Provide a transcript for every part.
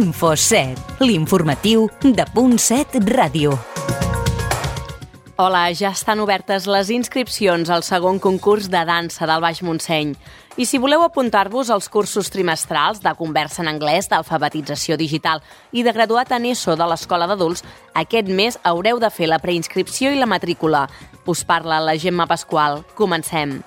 Info7, l'informatiu de Punt7 Ràdio. Hola, ja estan obertes les inscripcions al segon concurs de dansa del Baix Montseny. I si voleu apuntar-vos als cursos trimestrals de conversa en anglès, d'alfabetització digital i de graduat en ESO de l'Escola d'Adults, aquest mes haureu de fer la preinscripció i la matrícula. Us parla la Gemma Pasqual. Comencem.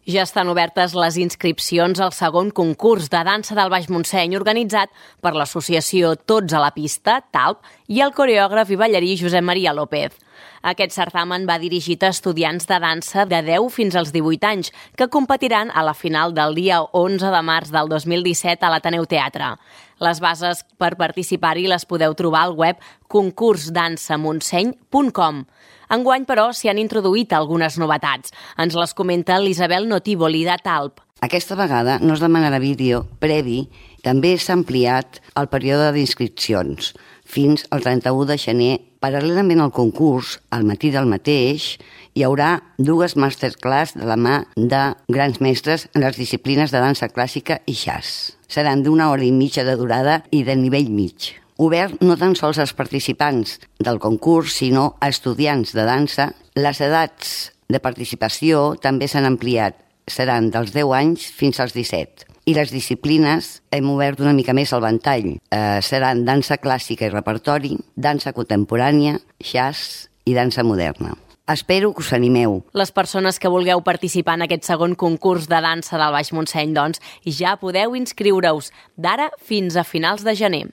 Ja estan obertes les inscripcions al segon concurs de dansa del Baix Montseny organitzat per l'associació Tots a la Pista, TALP, i el coreògraf i ballarí Josep Maria López. Aquest certamen va dirigit a estudiants de dansa de 10 fins als 18 anys que competiran a la final del dia 11 de març del 2017 a l'Ateneu Teatre. Les bases per participar-hi les podeu trobar al web concursdansamontseny.com. Enguany, però, s'hi han introduït algunes novetats. Ens les comenta l'Isabel Notívoli, de TALP. Aquesta vegada no es demanarà vídeo previ, també s'ha ampliat el període d'inscripcions fins al 31 de gener. Paral·lelament al concurs, al matí del mateix, hi haurà dues masterclass de la mà de grans mestres en les disciplines de dansa clàssica i jazz. Seran d'1 hora i mitja de durada i de nivell mig. Obert no tan sols als participants del concurs, sinó a estudiants de dansa. Les edats de participació també s'han ampliat. Seran dels 10 anys fins als 17. I les disciplines hem obert una mica més el ventall. Seran dansa clàssica i repertori, dansa contemporània, jazz i dansa moderna. Espero que us animeu. Les persones que vulgueu participar en aquest segon concurs de dansa del Baix Montseny, doncs, ja podeu inscriure-us d'ara fins a finals de gener.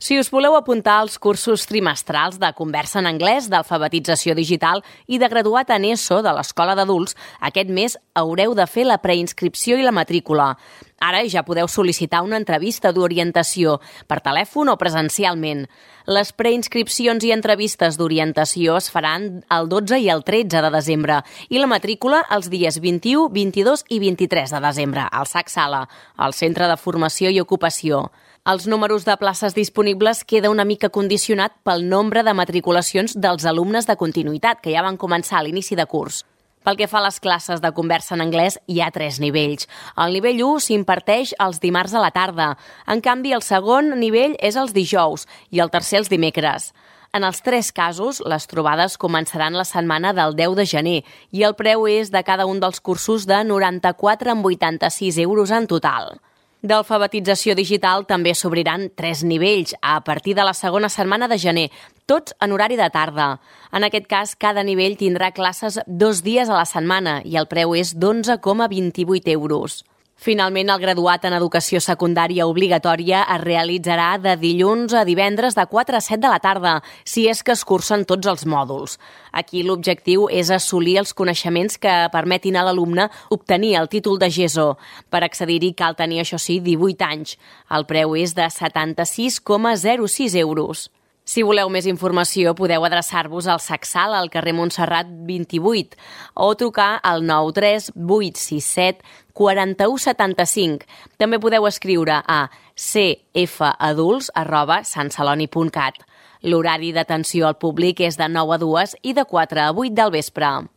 Si us voleu apuntar als cursos trimestrals de conversa en anglès, d'alfabetització digital i de graduat en ESO de l'Escola d'Adults, aquest mes haureu de fer la preinscripció i la matrícula. Ara ja podeu sol·licitar una entrevista d'orientació per telèfon o presencialment. Les preinscripcions i entrevistes d'orientació es faran el 12 i el 13 de desembre i la matrícula els dies 21, 22 i 23 de desembre al SAC Sala, al Centre de Formació i Ocupació. Els números de places disponibles queda una mica condicionat pel nombre de matriculacions dels alumnes de continuïtat, que ja van començar a l'inici de curs. Pel que fa a les classes de conversa en anglès, hi ha 3 nivells. El nivell 1 s'imparteix els dimarts a la tarda. En canvi, el segon nivell és els dijous i el tercer els dimecres. En els 3 casos, les trobades començaran la setmana del 10 de gener i el preu és de cada un dels cursos de 94,86 euros en total. D'alfabetització digital també s'obriran 3 nivells a partir de la segona setmana de gener, tots en horari de tarda. En aquest cas, cada nivell tindrà classes 2 dies a la setmana i el preu és d'11,28 euros. Finalment, el graduat en educació secundària obligatòria es realitzarà de dilluns a divendres de 4 a 7 de la tarda, si és que es cursen tots els mòduls. Aquí l'objectiu és assolir els coneixements que permetin a l'alumne obtenir el títol de GESO. Per accedir-hi cal tenir, això sí, 18 anys. El preu és de 76,06 euros. Si voleu més informació, podeu adreçar-vos al SAC Sala, al carrer Montserrat 28, o trucar al 93 867 4175. També podeu escriure a cfadults@santceloni.cat. L'horari d'atenció al públic és de 9 a 2 i de 4 a 8 del vespre.